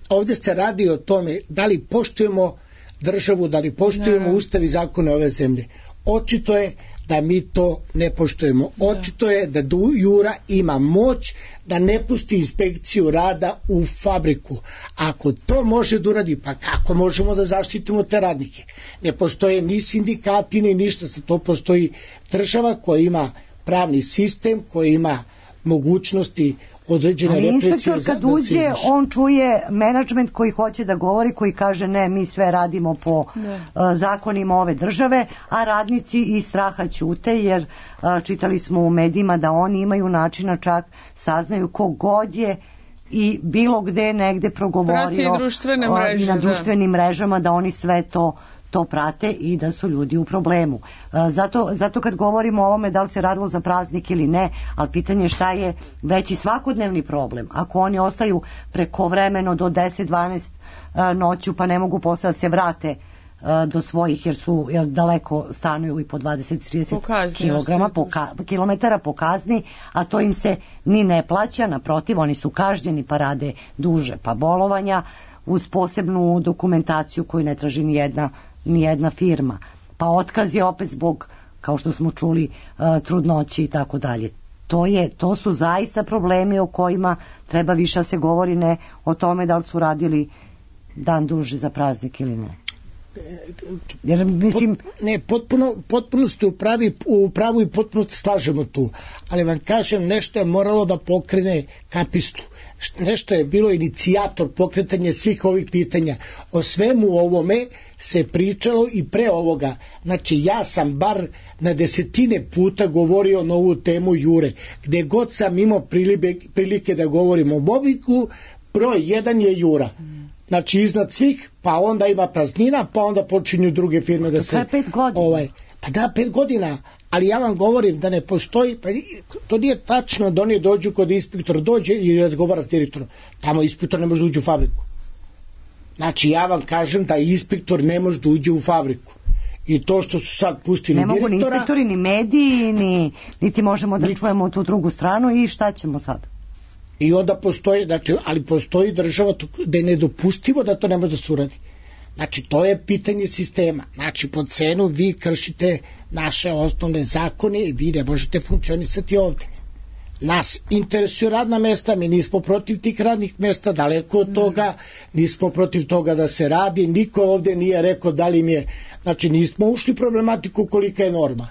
ovdje se radi o tome da li poštujemo državu, da li poštujemo ustav i zakone ove zemlje. Očito je da mi to ne poštujemo. Očito je da Jura ima moć da ne pusti inspekciju rada u fabriku. Ako to može da uradi, pa kako možemo da zaštitimo te radnike? Ne postoje ni sindikati ni ništa, za to postoji država koja ima pravni sistem, koja ima mogućnosti određene represije. Inspektor kad uđe, on čuje menadžment koji hoće da govori, koji kaže ne, mi sve radimo po zakonima ove države, a radnici iz straha ćute, jer čitali smo u medijima da oni imaju načina, čak saznaju kogod je i bilo gde negde progovorio i na društvenim mrežama, da oni sve to prate i da su ljudi u problemu. Zato kad govorimo o ovome da li se radilo za praznik ili ne, ali pitanje je šta je veći svakodnevni problem. Ako oni ostaju prekovremeno do 10-12 noću pa ne mogu posle da se vrate do svojih jer daleko stanuju i po 20-30 kilometara po kazni, a to im se ni ne plaća, naprotiv, oni su kažnjeni pa rade duže pa bolovanja uz posebnu dokumentaciju koju ne traži ni jedna firma. Pa otkaz je opet zbog, kao što smo čuli, trudnoći i tako dalje. To su zaista problemi o kojima treba više se govori, ne o tome da li su radili dan duže za praznik ili ne. Jer, mislim... Ne, potpuno ste u pravu i potpuno se slažemo tu, ali vam kažem, nešto je moralo da pokrene kapistu, nešto je bilo inicijator pokretanja svih ovih pitanja. O svemu ovome se pričalo i pre ovoga. Znači, ja sam bar na desetine puta govorio na ovu temu Jure, gde god sam imao prilike da govorim o mobbingu, broj jedan je Jura. Znači iznad svih, pa onda ima praznina, pa onda počinju druge firme da se... To je 5 godina. Pa da, 5 godina, ali ja vam govorim da ne postoji, pa to nije tačno da oni dođu kod inspektora, dođe i razgovara s direktorom. Tamo inspektor ne može uđi u fabriku. Znači ja vam kažem da inspektor ne može da uđe u fabriku. I to što su sad pustili direktora... Ne mogu ni inspektori, ni mediji, niti možemo da čujemo tu drugu stranu i šta ćemo sad? I onda postoji, znači, ali postoji država da je nedopustivo da to ne može da se uradi. Znači, to je pitanje sistema. Znači, po cenu vi kršite naše osnovne zakone i vi ne možete funkcionisati ovde. Nas interesuju radna mesta, mi nismo protiv tih radnih mesta, daleko od toga, nismo protiv toga da se radi, niko ovde nije rekao da li im je, znači, nismo ušli problematiku kolika je norma.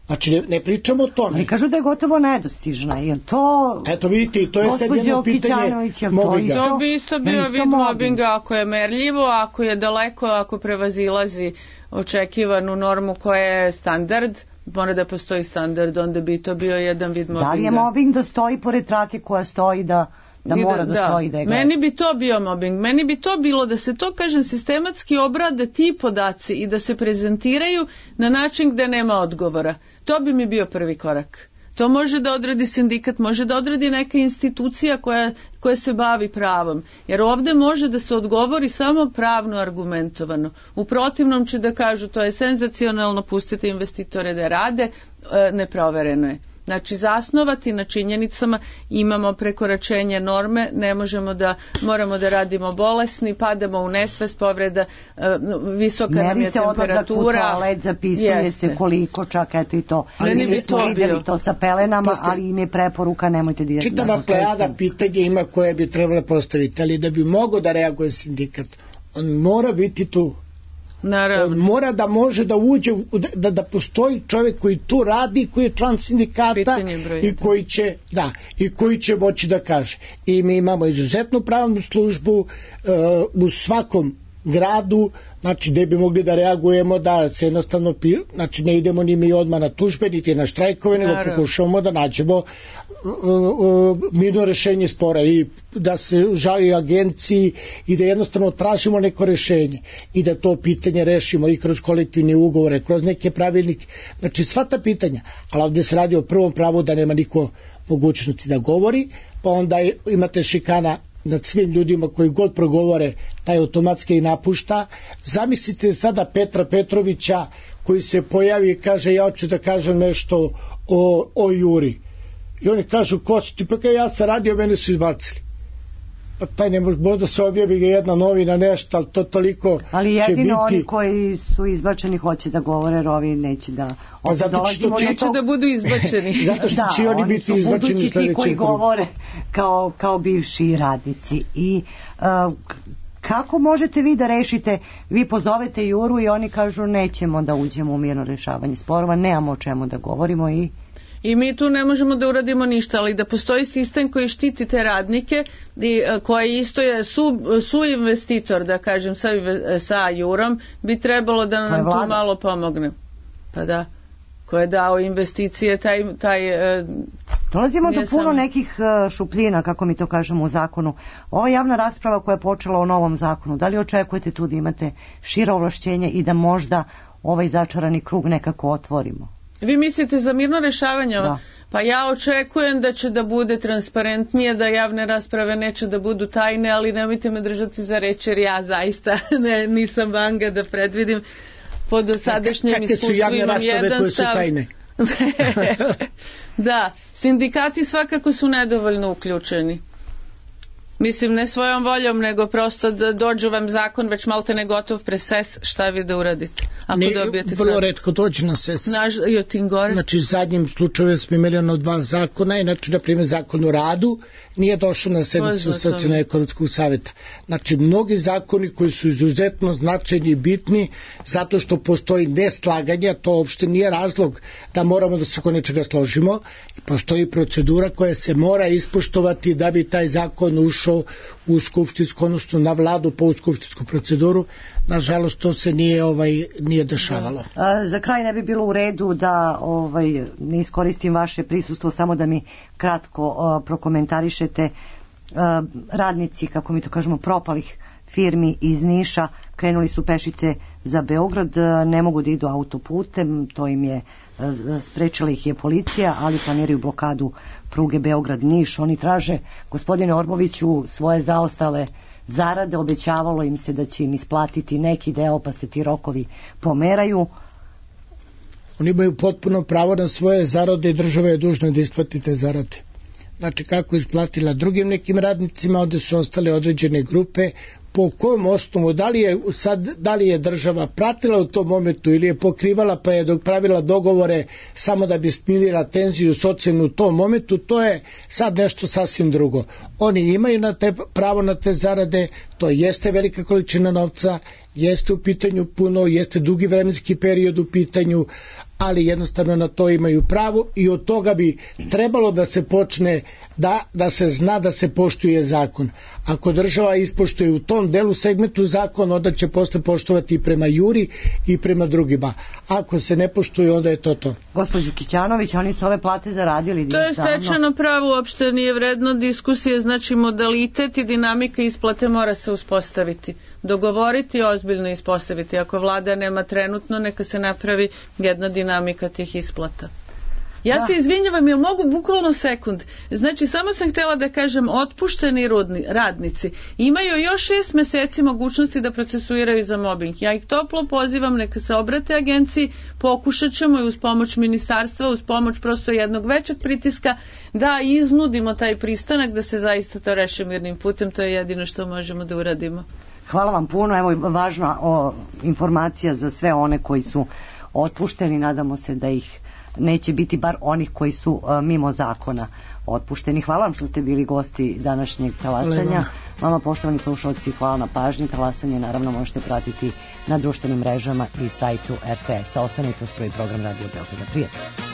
Znači, ne pričamo o tome. Ali kažu da je gotovo nedostižna, jer to... Eto vidite, to je sad jedno pitanje mobinga. To bi isto bio vid mobinga ako je merljivo, ako je daleko, ako prevazilazi očekivanu normu koja je standard, mora da postoji standard, onda bi to bio jedan vid mobinga. Da li je mobing da stoji pored trake koja stoji da mora da stoji da je gleda? Meni bi to bio mobbing, meni bi to bilo da se to, kažem, sistematski obrade ti podaci i da se prezentiraju na način gde nema odgovora. To bi mi bio prvi korak. To može da odradi sindikat, može da odradi neka institucija koja se bavi pravom. Jer ovde može da se odgovori samo pravno argumentovano. U protivnom će da kažu to je senzacionalno, pustite investitore da rade, neprovereno je. Znači, zasnovati na činjenicama, imamo prekoračenje norme, ne možemo moramo da radimo bolesni, padamo u nesvest, povreda, visoka nam je temperatura. Meri se odlazak u toalet, zapisuje se koliko, čak eto i to. Meni bi to bilo. To sa pelenama, ali im je preporuka, nemojte direktno. Čitava plejada pitanja ima koje bi trebalo postaviti, ali da bi mogo da reaguje sindikat, on mora biti tu. Naravno. Mora da može da uđe, da postoji čovjek koji tu radi, koji je član sindikata i koji će moći da kaže. I mi imamo izuzetnu pravnu službu u svakom gradu, znači gde bi mogli da reagujemo, da se jednostavno, znači ne idemo ni mi odmah na tužbe, niti na štrajkove, nego pokušavamo da nađemo mirno rešenje spora i da se žali agenciji i da jednostavno tražimo neko rešenje i da to pitanje rešimo i kroz kolektivne ugovore, kroz neke pravilnike, znači sva ta pitanja, ali ovde se radi o prvom pravu da nema niko mogućnosti da govori, pa onda imate šikana nad svim ljudima koji god progovore, taj automatski i napušta. Zamislite sada Petra Petrovića koji se pojavi i kaže ja hoću da kažem nešto o Juri. I oni kažu ko si ti, pa kao ja sam radio, mene su izbacili. Pa taj ne možda se objavi ga jedna novina nešto, ali to toliko će biti. Ali jedino oni koji su izbačeni hoće da govore, jer ovi neće da... Pa zato što neće da budu izbačeni. Zato što će oni biti izbačeni. Budući ti koji govore kao bivši radnici. I kako možete vi da rešite, vi pozovete Juru i oni kažu nećemo da uđemo u mirno rešavanje sporova, nemamo o čemu da govorimo i mi tu ne možemo da uradimo ništa, ali da postoji sistem koji štiti te radnike, koji isto je suinvestitor, da kažem, sa Jurom, bi trebalo da nam tu malo pomogne. Pa da, ko je dao investicije, taj dolazimo do puno nekih šupljina, kako mi to kažemo u zakonu. Ova javna rasprava koja je počela o novom zakonu, da li očekujete tu da imate šira ovlašćenja i da možda ovaj začarani krug nekako otvorimo? Vi mislite za mirno rešavanje? Da. Pa ja očekujem da će da bude transparentnije, da javne rasprave neće da budu tajne, ali nemojte me držati za reč, jer ja zaista nisam vanga da predvidim. Po dosadašnjem iskustvu imam jedan stav. Da, sindikati svakako su nedovoljno uključeni. Mislim, ne svojom voljom, nego prosto da dođu vam zakon već malte ne gotov preses, šta vi da uradite? Vrlo retko dođe na ses. Znači, zadnjim slučaju smo imali ono 2 zakona, inače, na primjer, zakon o radu nije došao na sednicu Socijalno-ekonomskog saveta. Znači, mnogi zakoni koji su izuzetno značajni i bitni, zato što postoji neslaganje, to uopšte nije razlog da moramo da se oko nečega složimo, postoji procedura koja se mora ispoštovati da bi taj zakon ušao u skupštinsku, odnosno na vladu po skupštinsku proceduru. Nažalost, to se nije dešavalo. Za kraj ne bi bilo u redu da ne iskoristim vaše prisustvo, samo da mi kratko prokomentarišete. Radnici, kako mi to kažemo, propalih firmi iz Niša krenuli su pešice za Beograd, ne mogu da idu autoputem, to im je sprečila ih je policija, ali planiraju blokadu pruge Beograd-Niš. Oni traže, gospodine Orboviću, svoje zaostale zarade, obećavalo im se da će im isplatiti neki deo, pa se ti rokovi pomeraju. Oni imaju potpuno pravo na svoje zarade i država je dužna da isplati te zarade. Znači, kako je isplatila drugim nekim radnicima, ovde su ostale određene grupe, po kojem osnovu, da li je država pratila u tom momentu ili je pokrivala pa je pravila dogovore samo da bi smirila tenziju socijalnu u tom momentu, to je sad nešto sasvim drugo. Oni imaju pravo na te zarade, to jeste velika količina novca, jeste u pitanju puno, jeste dugi vremenski period u pitanju, ali jednostavno na to imaju pravo i od toga bi trebalo da se počne da se zna da se poštuje zakon. Ako država ispoštuje u tom delu segmentu zakon, onda će posle poštovati i prema Juri i prema drugima. Ako se ne poštuje, onda je to. Gospođo Kićanović, oni su ove plate zaradili. To je stečeno pravo, uopšte nije vredno diskusije, znači modalitet i dinamika isplate mora se uspostaviti. Dogovoriti i ozbiljno ispostaviti. Ako vlada nema trenutno, neka se napravi jedna dinamika tih isplata. Ja se izvinjavam, jel mogu bukvalno sekund? Znači, samo sam htjela da kažem, otpušteni radnici imaju još 6 meseci mogućnosti da procesuiraju za mobbing. Ja ih toplo pozivam, neka se obrate agenciji, pokušat ćemo i uz pomoć ministarstva, uz pomoć prosto jednog većeg pritiska, da iznudimo taj pristanak, da se zaista to reši mirnim putem, to je jedino što možemo da uradimo. Hvala vam puno, evo važna informacija za sve one koji su otpušteni, nadamo se da ih neće biti bar onih koji su mimo zakona otpušteni. Hvala vam što ste bili gosti današnjeg talasanja. Vama, poštovani slušalci, hvala na pažnji. Talasanje naravno možete pratiti na društvenim mrežama i sajtu RTS-a. Ostanite uz prvi program Radio Beograda. Prijatno.